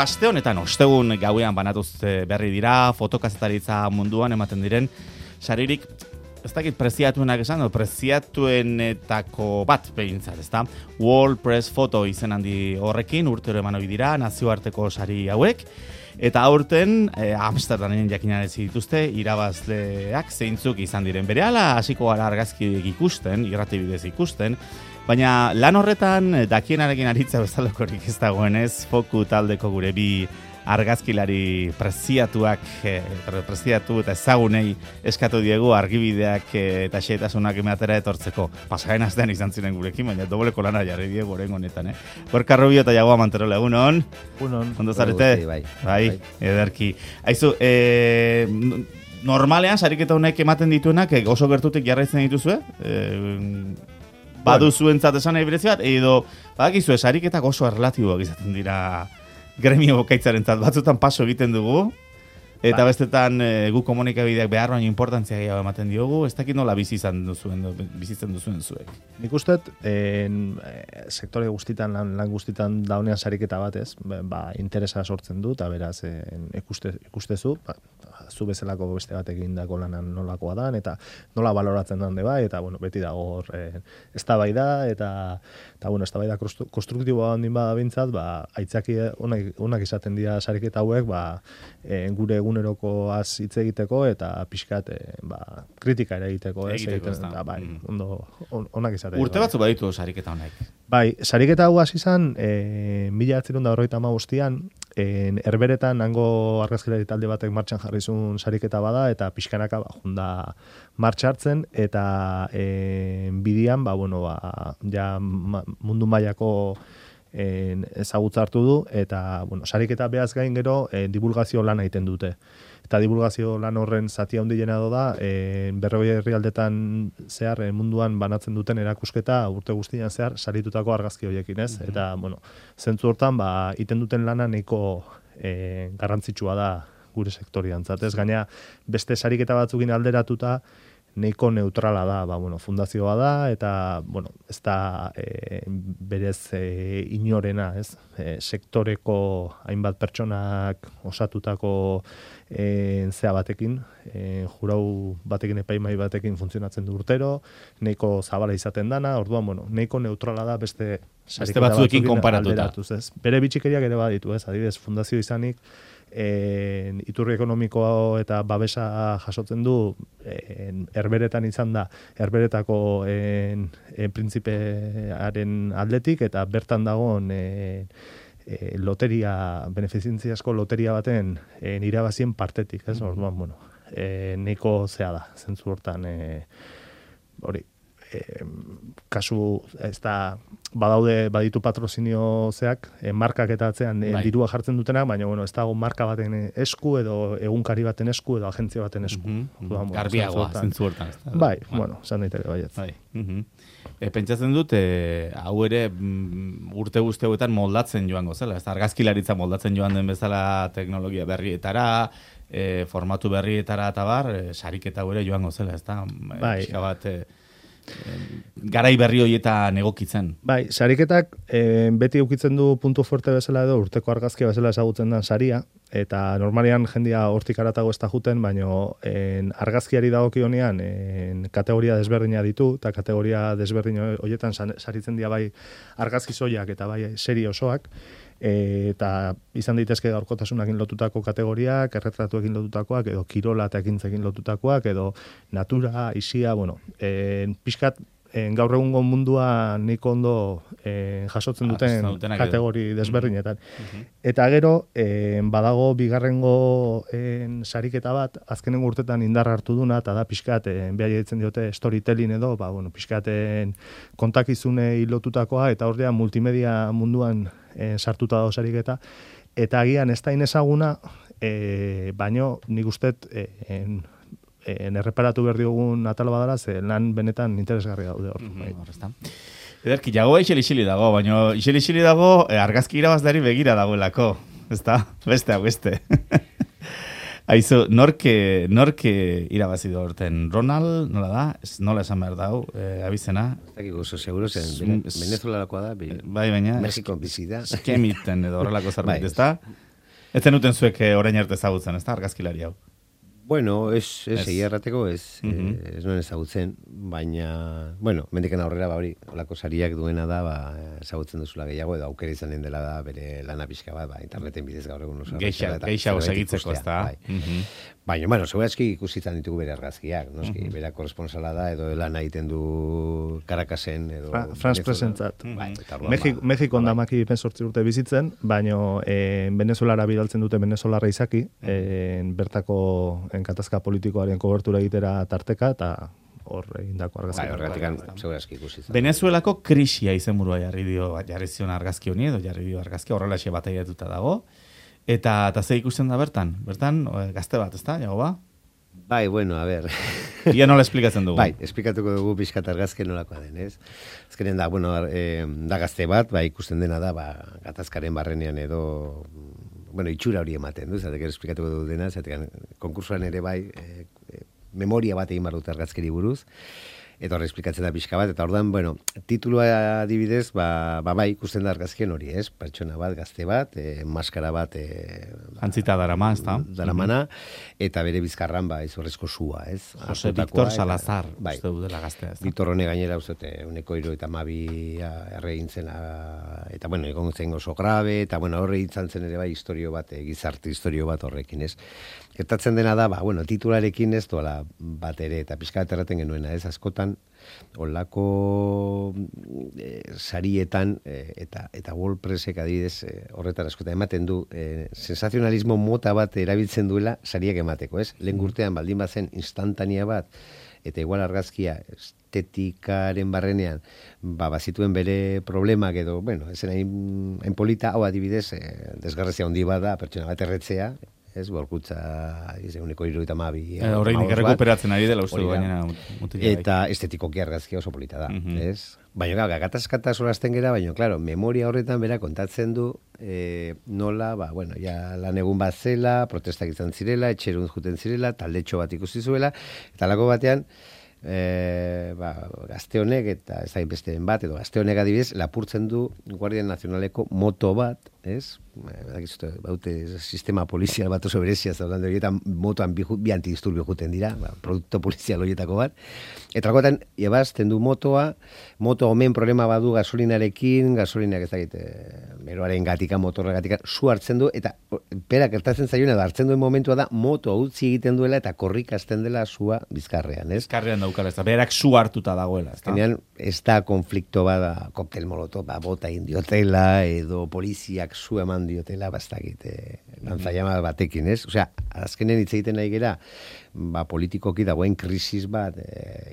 Aste honetan, ostegun gauean banatuz berri dira, fotokazetaritza munduan ematen diren, saririk, ez dakit preziatuenak esan, preziatuenetako bat behintzat, ezta? World Press Photo izen handi horrekin, urtero eman hori dira, nazioarteko sari hauek, eta aurten, Amsterdamen jakinarazi dituzte, irabazleak zeintzuk izan diren. Berehala hasiko gara argazki ikusten, irratibidez ikusten, baina lan horretan dakienarekin aritza bezalakorik ez dagoenez, Foku taldeko gure bi argazkilari preziatu eta ezagunei eskatu diegu argibideak eta xehetasunak ematera etortzeko. Pasaren astean izan ziren gurekin, baina dobleko lana jarri diegu orain honetan, Gorka Rubio eta Jagoa Manterola, egunon? Egunon. Ondo zarete? Bai, ederki. Aizu, normalean sariketa honek ematen dituenak oso gertutik jarraitzen dituzue? Baduzuentzat esan nahi berezi bat, edo badakizue sariketak oso erlatiboak izaten dira gremio bokaitzarentzat, batzutan paso egiten dugu, eta bestetan gu komunikabideak behar baino importantzia gehiago ematen diogu, ez dakit nola bizitzen duzuen zuek. Nik uste, sektore guztitan, lan guztitan daunean sariketa bat ez, interesa sortzen du, eta beraz ikustezu, zu bezalako beste batekin dako lanan nolakoa dan, eta nola baloratzen dan bai, eta beti dago hor eztabaida, eta eztabaida konstruktiboa handin bada bintzat, aitzaki onak izaten dira sariketa hauek, gure egunerokoaz hitz egiteko, eta pixkat kritika ere egiteko, onak izaten. Urte batzu baditu sariketa honek? Bai, sariketa hau hasi izan 1995an, Herberetan hango argazkilari talde batek martxan jarrizun sariketa bada, eta pixkanaka junda martxartzen, eta bidian, ja mundu mailako ezagutza hartu du, eta sariketa behaz gain gero divulgazio lan egiten dute. Eta divulgazio lan horren zati handiena da, 40 herrialdetan zehar munduan banatzen duten erakusketa urte guztian zehar saritutako argazki horiekin, ez? Eta, zentzu hortan, iten duten lana nahiko garrantzitsua da gure sektoriantzat, ez? Gaina, beste sariketa batzukin alderatuta, nahiko neutrala da, fundazioa da, eta, ez da berez inorena, ez? Sektoreko hainbat pertsonak osatutako zea batekin, jurau batekin, epaimai batekin funtzionatzen du urtero, nahiko zabala izaten dana, orduan, nahiko neutrala da beste sariketa batzuekin konparatuta. Bere bitxikeriak ere baditu, ez? Adibidez, fundazio izanik, iturri ekonomiko eta babesa jasotzen du, Herberetan izan da, Herberetako printzipearen aldetik, eta bertan dagoen loteria, beneficentziasko loteria baten irabazien partetik, ez? Orduan, nahiko zea da, zentzu hortan, kasu, ez da, baditu patrozinio zeak, markak eta atzean dirua jartzen dutenak, baina, ez dago marka baten esku, edo egunkari baten esku, edo agentzia baten esku. Garbiagoa, zentzu hortan. Bai, esan daiteke baietz. Pentsatzen dut, hau ere urte guzti hauetan moldatzen joango zela, ez da, argazkilaritza moldatzen joan den bezala teknologia berrietara, formatu berrietara eta bar, sariketa ere joango zela, ez da, pixka bat garai berri horietan egokitzen. Bai, sariketak beti eukitzen du puntu fuerte bezala edo urteko argazkia bezala ezagutzen den saria, eta normalian jendia hortik aratago ez da juten, baino argazkiari dagokionean kategoria desberdina ditu, eta kategoria desberdin horietan saritzen dira bai argazki soilak eta bai serie osoak, eta izan daitezke gaurkotasunakin lotutako kategoriak, erretratuekin lotutakoak, edo kirola eta ekintzekin lotutakoak, edo natura, isia, pixkat gaur egungo mundua niko ondo jasotzen duten kategori desberdinetan. Eta gero, badago bigarrengo sariketa bat, azkenengo urtetan indar hartu duna, eta da pixkat, behar ditzen diote storytelling edo, pixkat kontakizune lotutakoa, eta horrean multimedia munduan sartuta dago sariketa, eta agian ez da inezaguna, baino nik ustet erreparatu behar diogun atalo badala, ze lan benetan interesgarri daude hor. Ederki, Jagoa iseli dago, baina iseli dago argazki irabazleari begira dagoelako, ez da? Beste. Aizu, norke irabazi du horten? Ronald, nola da? Nola esan behar dau, abizena? Ez dakik oso, seguro zen, Venezuelakoa da, bai, baina, Mexiko bizi da. Skemiten edo horrelako zerbait, ez da? Ez zenuten zuek orain arte ezagutzen, ez da, argazkilari hau? Bueno, egia errateko ez nuen ezagutzen, baina, bueno, mendiken aurrera, hori, olako sariak duena da, ezagutzen duzula gehiago, edo aukera izanen dela da, bere lana pixka bat, interneten bidez gaur egun oso. Geixago segitzeko, ez da. Baina, bueno, segurazki ikusitzen ditugu bere argazkiak, noski, bera korresponsala da, edo lana egiten du Caracasen, edo... Franz Presentzat. Mexikon damaki 18 urte bizitzen, baina Venezuelara bidaltzen dute venezolarra izaki, bertako katazka politikoaren kobertura egitera tarteka, eta hor egindako argazki. Horregatik, segurazki ikusitzen. Venezuelako krisia izenburua jarri zion argazki honi, edo jarri dio argazki horrelaxe bat egituta dago. Eta ze ikusten da bertan? Bertan, gazte bat, ez da, jago ba? Bai, bueno, a ver. Ia nola esplikatzen dugu? Bai, esplikatuko dugu pixkat argazken nolakoa den, ez? Azkenen da, bueno, da gazte bat, ikusten dena da, gatazkaren barrenean edo, bueno, itxura hori ematen, du, zatek esplikatuko dugu dena, zatek konkursuan ere bai, memoria bat egin barut argazkeri buruz, eta horre esplikatzen da pixka bat, eta ordan, bueno, titulua adibidez, bai, ikusten da argazkien hori, ez? Pertsona bat, gazte bat, maskara bat... Antzita darama, ez da? Daramana, eta bere bizkarran, izorrezko sua, ez? Jose Victor Salazar, uste du dela gaztea, ez da? Victor hone gainera, uste, uneko 72 erregintzen, eta, bueno, egon zen oso grabe, eta, bueno, horre izan zen ere bai, historio bat, gizarte historio bat horrekin, ez? Gertatzen dena da, bueno, titularekin ez doala bat ere, eta pixka bat erraten genuena, ez? Askotan, olako sarietan eta WordPressek adibidez horretan askotan ematen du sensazionalismo mota bat erabiltzen duela sariak emateko, ez? Lehen urtean baldin bazen instantania bat eta igual argazkia estetikaren barrenean bazituen bere problemak edo, bueno, esen hain polita, hau adibidez desgarrazia handi bada pertsona bat erretzea, ez, borkutza, uneko 72. Horreinik errekuperatzen ari dela, uste du gainera. Eta estetikoki argazkia oso polita da, ez? Baina, gatazkata solazten gera, baina, klaro, memoria horretan bera kontatzen du nola, bueno, ja lan egun bat zela, protestak izan zirela, etxerun juten zirela, taldetxo bat ikusi zuela, eta lako batean, gazte honek eta ez da inbesteen bat, edo gazte honek adibidez, lapurtzen du Guardia Nazionaleko moto bat, ez? Baute sistema polizial bat oso berezia zaudande horietan motoan bi antidisturbio juten dira, produkto polizial horietako bat, eta lakotan, ebazten du moto omen problema badu gasolinarekin, gasolinak ez dakit, meroaren gatika, motorra gatika, zu hartzen du, eta perak gertatzen zaioen edo hartzen duen momentua da, moto utzi egiten duela eta korrikasten dela zua bizkarrean, ez? Bizkarrean daukala, ez da, berak zu hartuta dagoela, ez da? Genean, ez da konflikto bada, koktel molotov, bota indiotela, edo poliziak zu eman diotela, bastakit, lanzaiama batekin, ez? Osea, azkenen hitz egiten nahi gera, politikoki dagoen krisis bat,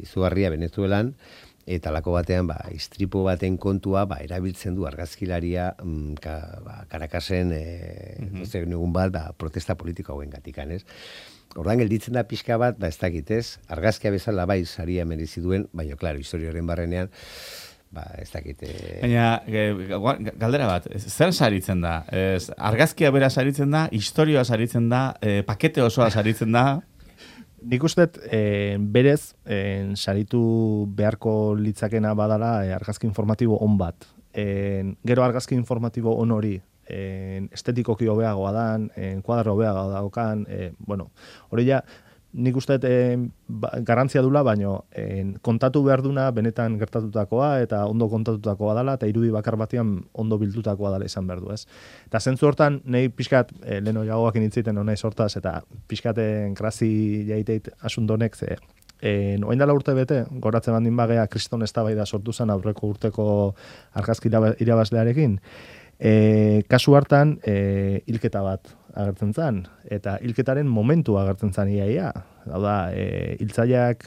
izugarria Venezuelan, eta lako batean, istripu baten kontua, erabiltzen du argazkilaria, Caracasen, egun bat, protesta politiko hauen gatikan, ez? Ordan gelditzen da pixka bat, ez dakit, ez? Argazkia bezala bai saria merezi duen, baina, klaro, historioaren barrenean, ez dakit... Baina, galdera bat, zer saritzen da? Argazkia bera saritzen da, historioa saritzen da, pakete osoa saritzen da? Nik usteet, berez, saritu beharko litzakena badala argazki informatibo on bat. Gero argazki informatibo on hori, estetikoki hobeagoa dan, kuadro hobeagoa daukan, bueno, hori ja, nik usteet garrantzia dula, baino kontatu behar duna benetan gertatutakoa eta ondo kontatutakoa dela, eta irudi bakar batean ondo bildutakoa dela izan behar du, ez? Eta zentzu hortan, nahi pixkat, leheno jagoak initziten honai sortaz, eta pixkaten krasi jaiteit asundonek, ze oain dela urte bete, goratzen bandin bagea, kriston eztabaida sortu zen aurreko urteko argazki irabazlearekin, kasu hartan hilketa bat agertzen zen, eta hilketaren momentu agertzen zen iaia. Hau da, hiltzaileak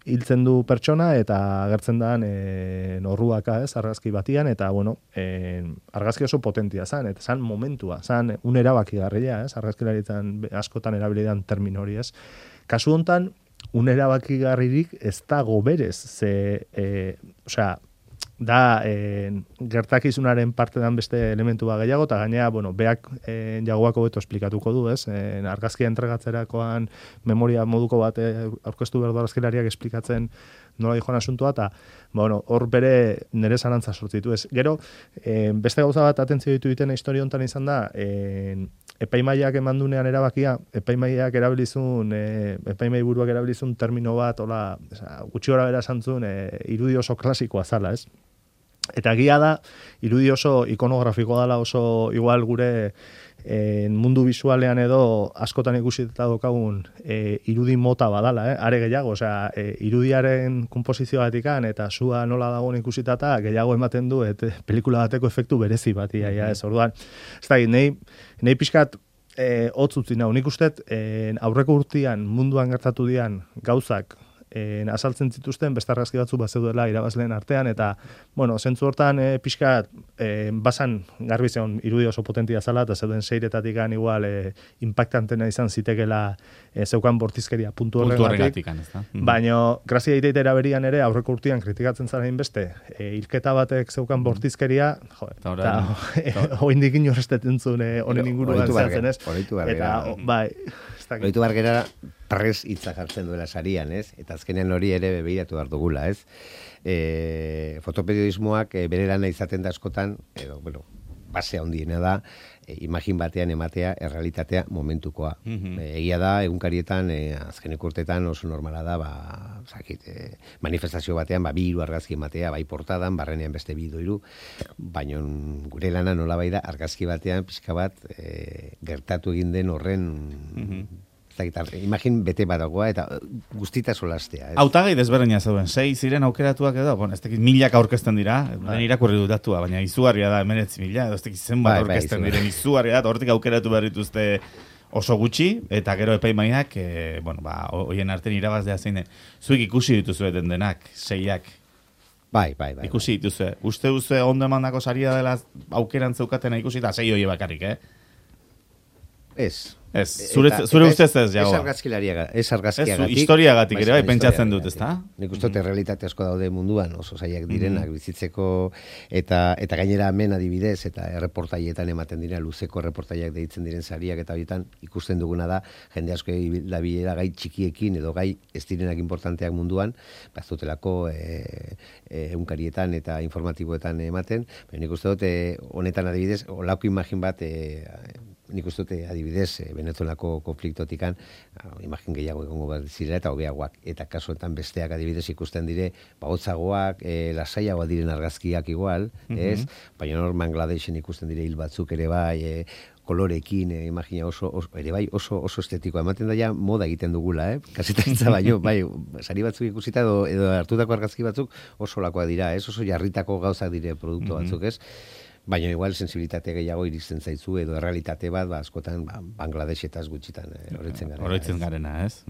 hiltzen du pertsona eta agertzen da norruaka, ez, argazki batian, eta, bueno, argazki oso potentia zen, eta zen momentua, zen un erabakigarria, ez, argazkilaritzen askotan erabilidan termino hori, ez. Kasu hontan, un erabakigarririk ez dago berez, osea, da gertakizunaren parte dan beste elementu bat gehiago, eta gainera, bueno, beak jagoak hobeto esplikatuko du, ez? Argazkia entregatzerakoan memoria moduko bat aurkeztu behar du argazkilariak esplikatzen nola dijoan asuntua, eta bueno, hor bere nire zalantza sortzitu. Ez. Gero, beste gauza bat atentzio ditu ditena historia honetan izan da, epaimaiak emandunean erabakia, epaimaiak erabilizun, epaimai buruak erabilizun termino bat, hola, gutxi gora bera santzun, irudi oso klasikoa zala, ez? Eta egia da, irudi oso ikonografikoa dela, oso igual gure mundu bisualean edo askotan ikusita daukagun irudi mota badala, are gehiago, osea, irudiaren komposizioatikan eta sua nola dagoen ikusitata gehiago ematen du pelikula bateko efektu berezi batia, ez orduan. Ez da, nahi pixkat hotz utzi nau, nik usteet aurreko urtean munduan gertatu dian gauzak azaltzen zituzten beste argazki batzu bazeudela irabazleen artean, eta, bueno, zentzu hortan pixka basan garbi zeon irudi oso potentia zala, eta zeuden seiretatik igual impactantena izan zitekela zeukan bortizkeria puntu horregatik. Baina, grazia iteitera berian ere, aurreko urtean kritikatzen zaren beste, hilketa batek zeukan bortizkeria, eta hoindik inorrestetentzun honen inguruan zehatzen, ez? Eta, bai, Oitu bargera prez hitza jartzen duela sarian, ez? Eta azkenean hori ere begiratu behar dugula, ez? Fotoperiodismoak bere lana izaten da askotan, edo, bueno, base handiena da, imagin batean ematea errealitatea momentukoa. Egia da, egunkarietan, azkeneko urtetan oso normala da, manifestazio batean, bi hiru argazki ematea, bai portadan, barrenean beste bi hiru, baina gure lana nola bai da, argazki batean, pixka bat, gertatu egin den horren imagin bete badagoa eta guztita solastea. Hautagai desberdina zeuden, 6 ziren aukeratuak edo, bueno, ez tekit 1000 aurkezten dira, den irakurri dut datua, baina izugarria da 19.000, edo ez tekit zenbat aurkezten diren izugarria da, hortik aukeratu behar dituzte oso gutxi, eta gero epaimaiak, bueno, hoien artean irabazlea zein, zuik ikusi dituzuen denak, 6ak. Bai. Ikusi dituzue. Uste duzu ondo emandako saria dela aukeran zeukatena ikusi, eta 6 hori bakarrik, Ez, zure ustez ez, jagoa. Ez argazkiagatik. Historiagatik ere, bai, pentsatzen dut, ez da? Nik uste realitate asko daude munduan, oso zaiak direnak bizitzeko, eta gainera hemen adibidez, eta erreportaietan ematen dira, luzeko erreportaiak deitzen diren sariak, eta horietan ikusten duguna da, jende asko dabilera gai txikiekin, edo gai ez direnak importanteak munduan, bazutelako egunkarietan eta informatiboetan ematen, nik uste dut, honetan adibidez, olako imagin bat, nik uste dute adibidez Venezuelako konfliktotikan imagin gehiago egongo bat zirela eta hobeagoak, eta kasuetan besteak adibidez ikusten dire hotzagoak, lasaiagoak diren argazkiak igual, ez? Baina hor Bangladeshen ikusten dire hil batzuk ere bai, kolorekin, imagina oso estetikoa. Ematen da ja moda egiten dugula, kasetaritza baino, bai, sari batzuk ikusita edo hartutako argazki batzuk oso lakoak dira, ez? Oso jarritako gauzak dire produktu batzuk, ez? Baina igual sensibilitate gehiago iristen zaizu edo errealitate bat, askotan Bangladeshetaz gutxitan oroitzen garena, ez?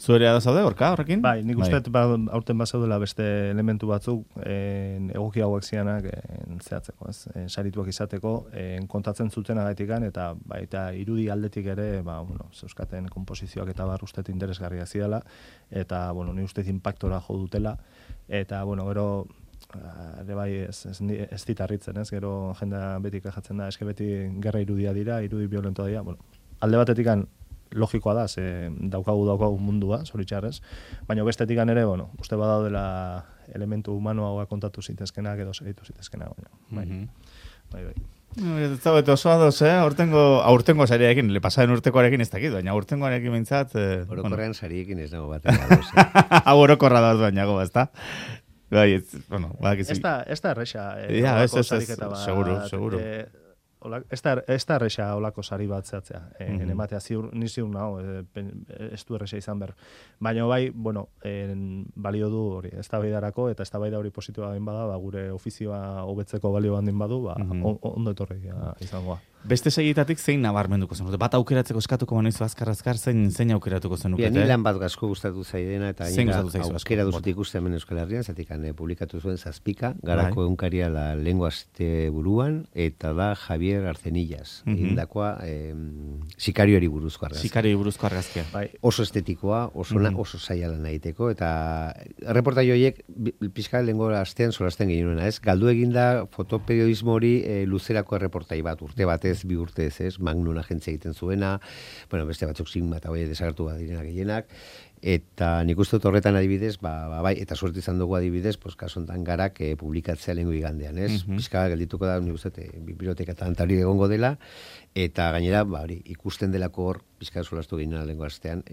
Zu ere da zaude, Gorka, horrekin? Bai, nik uste aurten bazaudela beste elementu batzuk egoki hauek zianak zehatzeko, ez? Sarituak izateko, kontatzen zuten agatikan, eta baita irudi aldetik ere, zeuskaten komposizioak eta ustet interesgarria zidala, eta, ni uste impactora jo dutela, eta, gero, ere bai ez ditarritzen, ez? Gero jendea beti kajatzen da, eske beti gerra irudia dira, irudi violentoa dira. Alde batetikan logikoa da, ze daukagu mundua, zoritxarrez, baina bestetikan ere, uste badaudela elementu humanoagoa kontatu zitezkenak edo segitu zitezkenak, bai. Ez zaudete oso adoz, aurtengo sariarekin, pasaren urtekoarekin ez dakit, baina aurtengoarekin behintzat... Orokorrean sariekin ez dago batean adoz. Hau orokorra da bainago, ez da? Bai, ez da erresa. Seguro. Ez da erresa olako sari bat zehatzea. Ematea ni ziur nago, ez du erresa izan ber. Baina bai, balio du hori, ez da baidarako, eta ez da baida hori positiboa den bada, gure ofizioa hobetzeko balio handin badu, ondo etorri izangoa. Beste segietatik zein nabarmenduko zenute? Bat aukeratzeko eskatuko banizu azkar, zein aukeratuko zenukete? Ni lan bat asko gustatu zaidena, eta aukera duzut ikusten hemen Euskal Herrian, zatik publikatu zuen Zazpika, garako egunkaria la lengua buruan, eta da Javier Arzenillas, indakoa sikarioari buruzko argazkia. Sikarioari buruzko argazkia. Oso estetikoa, oso zaila lan egiteko, eta reportai horiek pixka lengo astean solasten gehiagoena, ez? Galdu eginda fotoperiodismo hori luzerako reportai bat, urte batez, 2 urtez, ez? Magnum agentzia egiten zuena, bueno, beste batzuk Sigma eta bai desagertu bat direnak gehienak, eta nik uste dut horretan adibidez, bai, eta suerte izan dugu adibidez, kaso hontan Garak publikatzea lehengo igandean, ez? Pixka geldituko da, nik uste dut, biblioteka eta antari egongo dela, eta gainera, ikusten delako hor, pixka solastu ginen lehengo astean,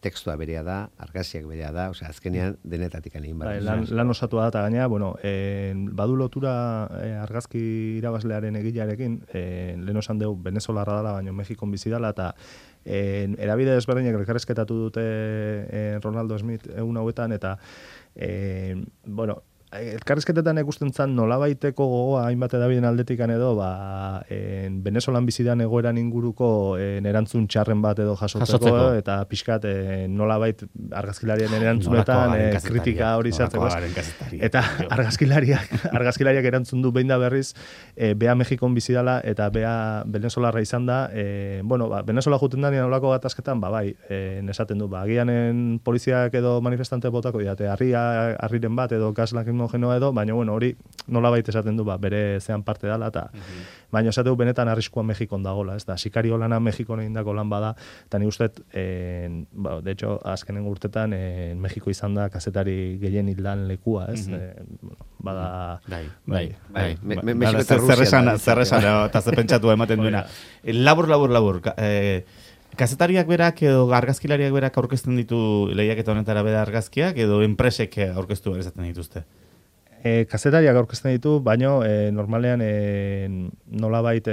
tekstua berea da, argazkiak berea da, osea, azkenean denetatik egin behar. Lan osatua da, eta gainera, badu lotura argazki irabazlearen egilearekin, lehen osan dugu Venezolarra dela, baina Mexikon bizi dela, eta erabide desberdinak elkarrezketatu dute Ronaldo Smith egun hauetan, eta, elkarrizketetan ikusten zan nolabaiteko gogoa hainbat edabideen aldetikan edo Venezolan bizidan egoeran inguruko erantzun txarren bat edo jasotzeko eta pixkat nolabait argazkilarien erantzunetan kritika hori zartzeko. Eta argazkilariak erantzun du behin da berriz bea Mexikon bizidala eta bea Venezolarra izan da. Venezola juten da nolako gatazketan, esaten du, agianen poliziak edo manifestante botako diate, harriren bat edo gas lakrimogenoa edo, baina hori nolabait esaten du bere zean parte dela, eta baina esateu benetan arriskua Mexikon dagola, ez da, sikario lana Mexikon egindako lan bada, eta ni uste, de hecho, azkenen urtetan Mexiko izan da kazetari gehien hildan lekua, ez? Bada... Zer esan, eta ze pentsatu ematen duena. Labur. Kazetariak berak edo argazkilariak berak aurkezten ditu lehiaketa honetara beda argazkiak edo enpresek aurkeztu ezaten dituzte? Kazetariak aurkezten ditu, baina normalean nolabait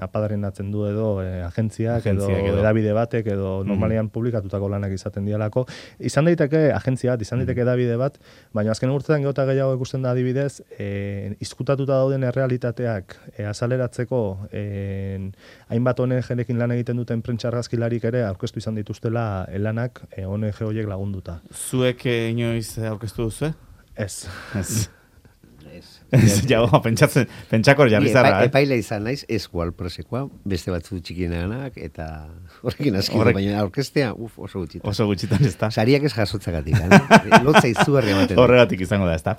apadaren atzen du edo agentziak edo edabide batek edo normalean publikatutako lanak izaten dialako. Izan daiteke agentzia bat, izan daiteke edabide bat, baina azken urtetan geota gehiago ikusten da adibidez, izkutatuta dauden errealitateak azaleratzeko hainbat ONG-ekin lan egiten duten prentsa argazkilarik ere aurkeztu izan dituztela lanak ONG horiek lagunduta. Zuek inoiz aurkeztu duzu? Ez. Pentsakor jarri zara. Epaile izan naiz, ez Wallpressekoa, beste batzu txikienanak, eta horrekin askidu, baina aurkeztea, oso gutxitan. Oso gutxitan, ez da. Sariak ez jasotzagatik, lotza izugarri ematen. Horregatik izango da, ez da.